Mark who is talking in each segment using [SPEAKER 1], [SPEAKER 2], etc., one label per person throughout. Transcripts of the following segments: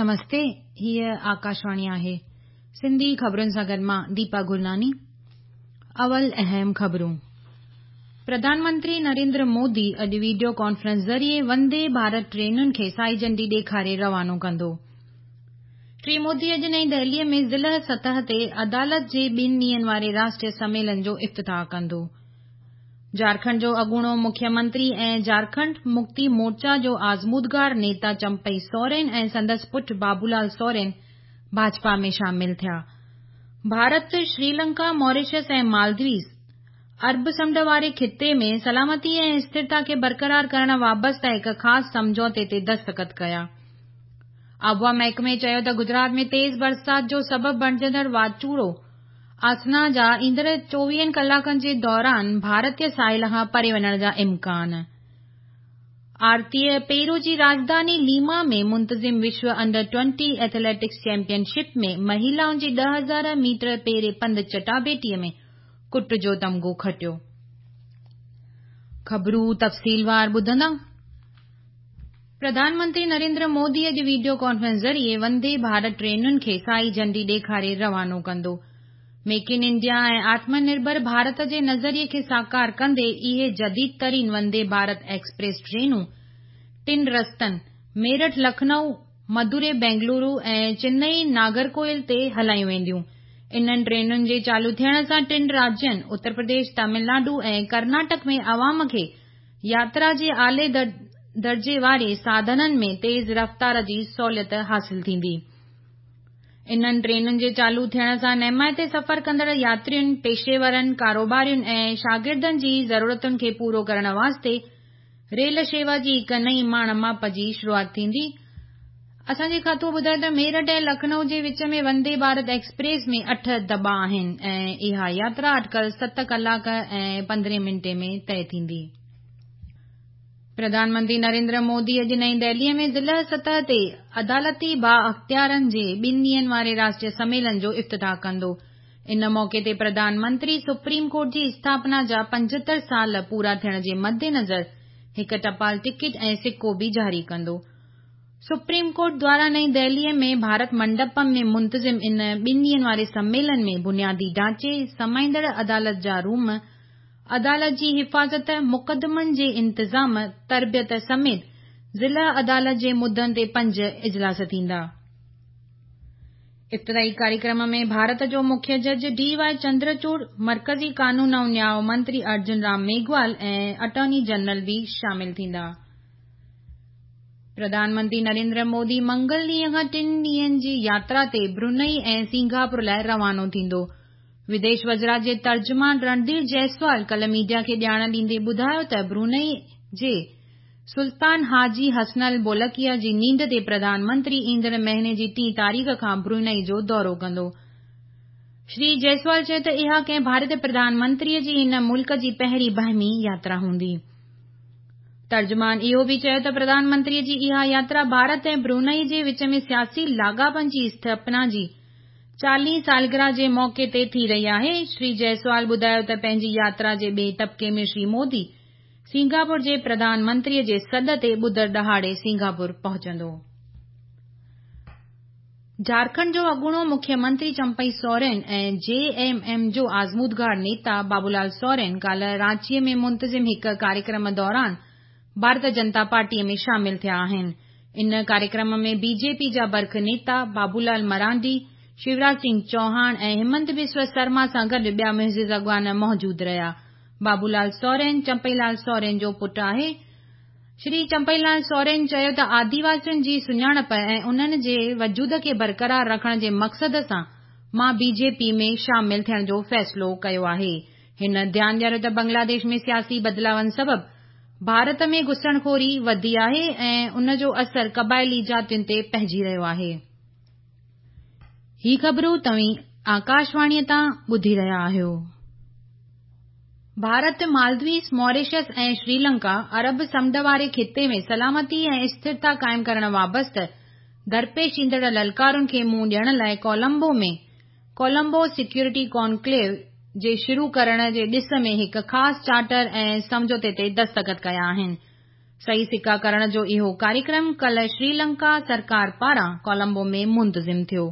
[SPEAKER 1] نمستي، هيء آڪاشواڻي آهي. سنڌي خبرن سان گڏ مان ديپا گرناني. اول اهم خبرون. پرڌان منتري نريندر مودي اڄ وڊيو ڪانفرنس ذريعي وندي ڀارت ٽرينن کي سائي جهنڊي ڏيکاري روانو ڪندو. شري مودي اڄ نئين دهليء ۾ ضلع سطح تي عدالت جي ٻن ڏينهن واري راشٽريه سميلن جو افتتاح ڪندو. جهارکنڊ جو اڳوڻو مکيه منتري ۽ جهارکنڊ مڪتي مورچا جو آزمودگار نيتا چمپئي سورين ۽ سندس پٽ بابولال سورين ڀاجپا ۾ شامل ٿيا. ڀارت، شريلنڪا، ماريشس ۽ مالديوز عرب سمنڊ واري خطي ۾ سلامتي ۽ استرتا کي برقرار ڪرڻ وابسته هڪ خاص سمجهوتي تي دستخط ڪيا. آبهوا محڪمي چيو ته گجرات ۾ تيز برسات جو سبب بڻجندڙ واچوڙو آسنا جا ايندڙ چوويهن ڪلاڪن جي دوران ڀارتي ساحل کان پري وڃڻ جا امڪان. آرتيء پيرو جي راڄڌاني ليما ۾ منتظم وشو انڊر 20 ايٿليٽڪس چيمپيئن شپ ۾ مهيلائن جي 10,000 ميٽر پيري پنڌ چٽاڀيٽيء ۾ ڪٽ جو تمغو کٽيو. خبرون تفصيلوار ٻڌندا. پرڌان منتري نريندر مودي اڄ وڊيو ڪانفرنس ذريعي وندي ڀارت ٽرينن کي سائي جهنڊي ڏيکاري روانو ڪندو. ميڪ ان انڊيا ۽ آتم نرڀر ڀارت جي نظريي کي ساڪار ڪندي اهي جديد ترين وندي ڀارت ايڪسپريس ٽرينون ٽن رستن ميرٺ لکنؤ، مدوري بينگلورو ۽ چنئي ناگرڪوئل تي هلايون وينديون. انهن ٽرينن جي چالو ٿيڻ سان ٽن راجين اتر پرديش، تامل ناڊو ۽ ڪرناٽڪ ۾ عوام کي ياترا جي اعلي درجي واري ساڌنن ۾ تيز رفتار جي سهوليت حاصل ٿيندي. انهن ٽرينن جي چالو ٿيڻ سان نهمائتي سفر ڪندڙ ياترين، پيشيورن، ڪاروبارين ۽ شاگردن جي ضرورتن کي پورو ڪرڻ واسطي ريل شيوا جي هڪ نئين ماڻ ماپ جي شروعات ٿيندي. اسان جي کاتو ٻڌايو ته ميرٺ ۽ لکنؤ جي وچ ۾ وندي ڀارت ايڪسپريس ۾ اٺ دٻا آهن ۽ اها ياترا اٽڪل ست ڪلاڪ ۽ پندرهين منٽي ۾ طئي ٿيندي. پرڌان منتري نريندر مودي اڄ نئين دهليء ۾ ضلع سطح تي عدالتي بااختيارن جي ٻن ڏينهن واري راشٽريه سميلن جو افتتاح ڪندو. ان موقعي تي پرڌان منتري سپريم ڪورٽ جي اسٿاپنا جا 75 سال پورا ٿيڻ جي مدنظر هڪ ٽپال ٽڪيٽ ۽ سڪو به جاري ڪندو. سپريم ڪورٽ دواران نئين دهليء ۾ ڀارت منڊپم ۾ منتظم ان ٻن ڏينهن واري سميلن ۾ بنيادي ڍانچي، سمائيندڙ عدالت جا روم، عدالت جي حفاظت، مقدمن جي انتظام، تربيت سميت ضلع عدالت جي مدن تي پنج اجلاس ٿيندا. افتتاحي ڪاريڪرم ۾ ڀارت جو مکيه جج ڊي وائي چندرچوڙ، مرڪزي قانون ۽ نياء منتري ارجن رام ميگهوال ۽ اٽارني جنرل به شامل ٿيندا. پرڌان منتري نريندر مودي منگل ڏينهن کان ٽن ڏينهن جي ياترا تي برونئي ۽ سنگاپور لاء روانو ٿيندو. وديش وزارت جي ترجمان رڻڌير جئسوال ڪالهه ميڊيا کي ڄاڻ ڏيندي ٻڌايو ته برونئي جي سلطان حاجي حسن البولڪيه جي نينڍ تي پرڌان منتري ايندڙ مهيني جي ٽين تاريخ کان برونئي جو دورو ڪندو. شري جئسوال چيو ته اها ڪنهن ڀارتي پرڌان منتري جي هن ملڪ جي پهرين باهمي ياترا هوندي. ترجمان اهو به چيو ته پرڌان منتري جي اها ياترا ڀارت ۽ برونئي جي وچ ۾ سياسي لاڳاپن جي اسٿاپنا جي 40 سالگرهه جي موقعي تي ٿي رهي آهي. شري جئسوال ٻڌايو ته پنهنجي ياترا جي ٻئي طبقي ۾ شري مودي سنگاپور جي پرڌان منتري جي سڏ تي ٻڌر ڏهاڙي سنگاپور پهچندو. جهارکنڊ جو اڳوڻو مکيه منتري چمپئي سورين ۽ جي ايم ايم جو آزمودگار نيتا بابولال سورين ڪالهه رانچيء ۾ منتظم هڪ ڪاريڪرم دوران ڀارت جنتا پارٽيء ۾ شامل ٿيا آهن. ان ڪاريڪرم ۾ بي جي پي جا برک نيتا بابولال مرانڊي، شيوراج سنگهه چوهاڻ ۽ همنت بسوا سرما سان گڏ ٻيا معزز اڳواڻ موجود رهيا. بابولال سورين چمپئي لال سورين جو پٽ آهي. شري چمپئي لال سورين چيو ته آديواسين جي سڃاڻپ ۽ انهن جي وجود کي برقرار رکڻ جي مقصد سان مان بي جي پي ۾ شامل ٿيڻ جو فيصلو ڪيو آهي. هن ڌيان ڏياريو ته بنگلاديش ۾ سياسي بدلاون سبب ڀارت ۾ گهسڻخوري وڌي آهي ۽ ان جو اثر قبائلي جاتين تي پئجي رهيو آهي. هي خبرون توهين آڪاشواڻيء تان ٻڌي رهيا آهيو. ڀارت، مالديوز، ماريشس ۽ شريلنڪا عرب سمنڊ واري خطي ۾ سلامتي ۽ اسٿرتا قائم ڪرڻ وابسته درپيش ايندڙ للڪارن کي منهن ڏيڻ لاء ڪولمبو ۾ ڪولمبو سيڪيورٽي ڪانڪليو جي شروع ڪرڻ جي ڏس ۾ هڪ خاص چارٽر ۽ سمجهوتي تي دستخط ڪيا آهن. صحيح سڪا ڪرڻ جو اهو ڪاريڪرم ڪالهه شريلنڪا سرڪار پاران ڪولمبو ۾ منتظم ٿيو.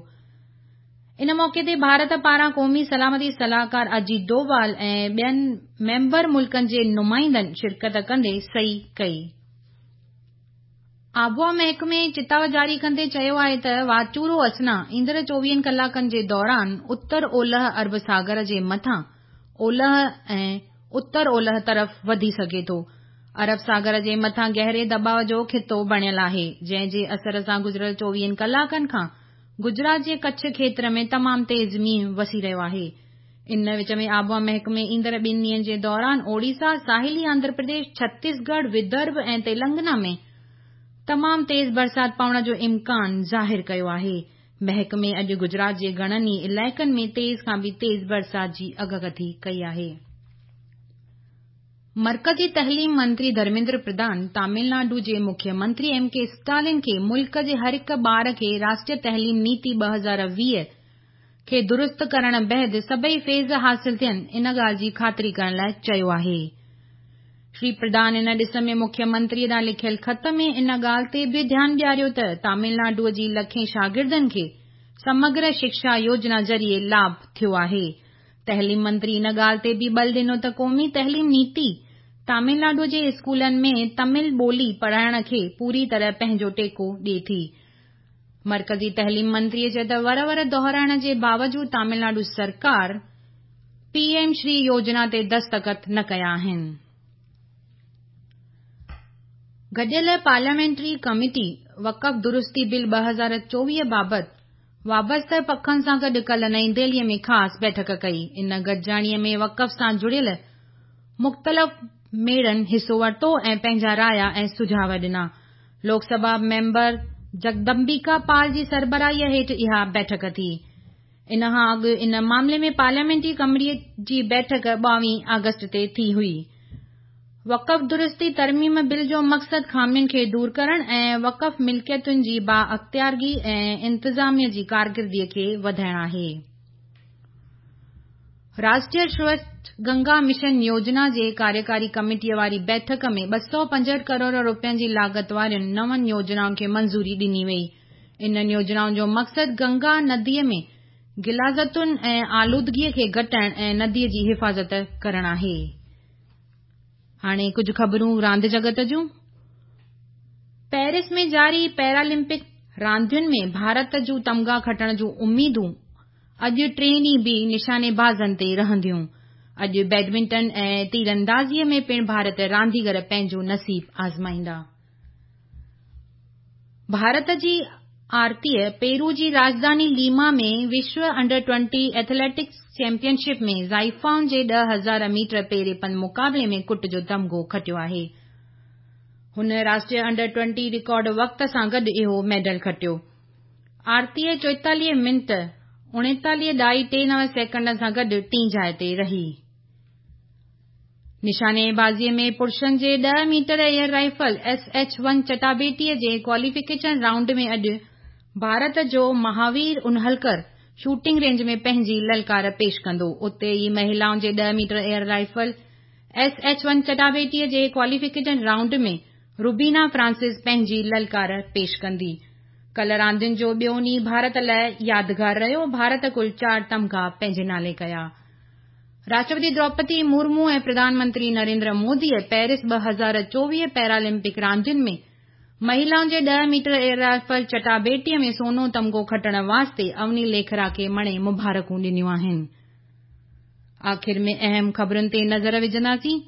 [SPEAKER 1] ان موقعي تي ڀارت پاران قومي سلامتي صلاحڪار اجيت ڊووال ۽ ٻين ميمبر ملڪن جي نمائندن شرڪت ڪندي صحيح ڪئي. آبهوا محڪمي چتاء جاري ڪندي چيو آهي ته واچوڙو اسنا ايندڙ 24 ڪلاڪن جي دوران اتر اولهه عرب ساگر جي مٿان اولهه ۽ اتر اولهه طرف وڌي سگهي ٿو. عرب ساگر جي مٿان گهري دٻاء جو خطو بڻيل آهي، جنهن جي اثر سان گذريل 24 ڪلاڪن کان گجرات جي ڪڇ کيتر ۾ تمام تيز مينهن وسي رهيو آهي. ان وچ ۾ آبهوا محڪمي ايندڙ ٻن ڏينهن جي دوران اوڙيسا، ساحلي آنڌرا پرديش، ڇتيسڳڙهه، ودرڀ ۽ تيلنگانا ۾ تمام تيز برسات پوڻ جو امڪان ظاهر ڪيو آهي. محڪمي اڄ گجرات جي گهڻن ئي علائقن ۾ تيز کان به تيز برسات جي اڳڪٿي ڪئي آهي. مرڪزي تعليم منتري ڌرميندر پرڌان تامل ناڊو جي مکيه منتري ايم ڪي اسٽالن کي ملڪ جي هر هڪ ٻار کي راشٽريه تعليم نيتي 2020 کي درست ڪرڻ بعد سڀئي فيض حاصل ٿين ان ڳالهه جي خاطري ڪرڻ لاء چيو آهي. شري پرڌان ان ڏس ۾ مکيه منتري ڏانهن لکيل خط ۾ ان ڳالهه تي به ڌيان ڏياريو ته تامل ناڊو جي لکين شاگردن کي سمگر شڪشا يوجنا ذريعي لاڀ ٿيو آهي. تعليم منتري ان ڳالهه تي به ٻل ڏنو ته قومي تعليم نيتي تامل ناڊو جي اسڪولن ۾ تامل ٻولي پڙهائڻ کي پوري طرح پنهنجو ٽيڪو ڏئي ٿي. مرڪزي تعليم منتري چيو ته ور ور دهرائڻ جي باوجود تامل ناڊو سرڪار پي ايم شري يوجنا تي دستخط نه ڪيا آهن. گڏيل پارليامينٽري ڪميٽي وقف درستي بل 2024 بابت وابسته پکن سان گڏ ڪالهه نئين دهلي ۾ خاص بيٺڪ ڪئي. ان گڏجاڻي ۾ وقف سان جڙيل مختلف ميڙن حصو ورتو ۽ پنهنجا رايا ۽ سجهاء ڏنا. لوڪ سڀا ميمبر جگدمبيڪا پال جي سربراهيء هيٺ اها بيٺڪ ٿي. ان کان اڳ ان معاملي ۾ پارليامينٽري ڪميٽي جي بيٺڪ 22 آگسٽ تي ٿي هئي. وقف درستي ترميم بل جو مقصد خامين کي دور ڪرڻ ۽ وقف ملڪيتن جي بااختيارگي ۽ انتظاميه جي ڪارڪردگي کي وڌائڻ آهي. راشٽريه سوڇ گنگا مشن يوجنا جي ڪاريڪاري ڪميٽيء واري بيٺڪ ۾ 265 ڪروڙ رپين جي لاڳت وارين نون يوجنائن کي منظوري ڏني وئي. انهن يوجنائن جو مقصد گنگا نديء ۾ غلاظتن ۽ آلودگيء کي گهٽائڻ ۽ نديء جي حفاظت ڪرڻ آهي. هاڻي ڪجهه خبرون راند جڳت جون. پيرس ۾ جاري پيرالمپڪ راندين ۾ ڀارت جون تمغا کٽڻ جون اميدون اڄ ٽئين ڏينهن به نشانيبازن تي رهنديون. اڄ بيڊمنٽن ۽ تيراندازيء ۾ پڻ ڀارتي رانديگر پنهنجو نصيب آزمائيندا. ڀارت جي آرتيء پيرو جي راڄڌاني ليما ۾ وشو انڊر 20 ايٿليٽڪس چيمپيئن شپ ۾ زائفائن جي 10,000 ميٽر پيري پنڌ مقابلي ۾ ڪٽ جو تمغو کٽيو آهي. هن راشٽريه انڊر 20 رڪارڊ وقت سان گڏ اهو ميڊل کٽيو. آرتيء 44 منٽ 39.39 سيڪنڊن سان گڏ ٽين جاء تي رهي. نشانيبازيء ۾ پرشن جي 10 metre air rifle S H one چٽاڀيٽيء جي ڪواليفڪيشن رائونڊ ۾ اڄ ڀارت جو مهاوير انهلڪر شوٽنگ رينج ۾ پنهنجي للڪار پيش ڪندو. اتي ئي مهلائن جي 10 metre air rifle S H one چٽاڀيٽيء جي ڪواليفڪيشن رائونڊ ۾ روبينا فرانسس پنهنجي للڪار پيش ڪندي. ڪالهه راندين جو ٻيو ڏينهن ڀارت لاء يادگار رهيو. ڀارت ڪل 4 تمغا پنهنجي نالي ڪيا. راشٽرپتي دروپدي مرمو ۽ پرڌان منتري نريندر موديء پيرس 2024 پيرالمپڪ راندين ۾ مهلائن جي 10 ميٽر ايئر رائفل چٽاڀيٽيء ۾ سونو تمغو کٽڻ واسطي اوني ليکرا کي مڻي مبارڪون ڏنيون آهن. آخر ۾ اهم خبرن تي نظر وجهنداسين.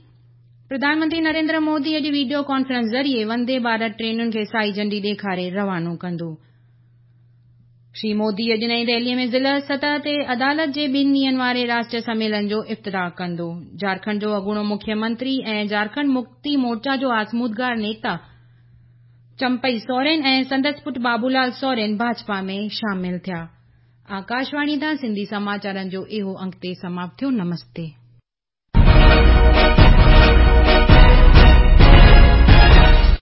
[SPEAKER 1] پرڌان منتري نريندر مودي اڄ وڊيو ڪانفرنس ذريعي وندي ڀارت ٽرينن کي سائي جهنڊي ڏيکاري روانو ڪندو. شري مودي اڄ نئين دهلي ۾ ضلع سطح تي عدالت جي ٻن ڏينهن واري راشٽريه سميلن جو افتتاح ڪندو. جهارکنڊ جو اڳوڻو مکيه منتري ۽ جهارکنڊ مڪتي مورچا جو آزمودگار نيتا چمپئي سورين ۽ سندس پٽ بابولال سورين ڀاجپا ۾ شامل ٿيا. آڪاشواڻي تان سنڌي سماچارن جو اهو انگ تي سماپت ٿيو. نمستي.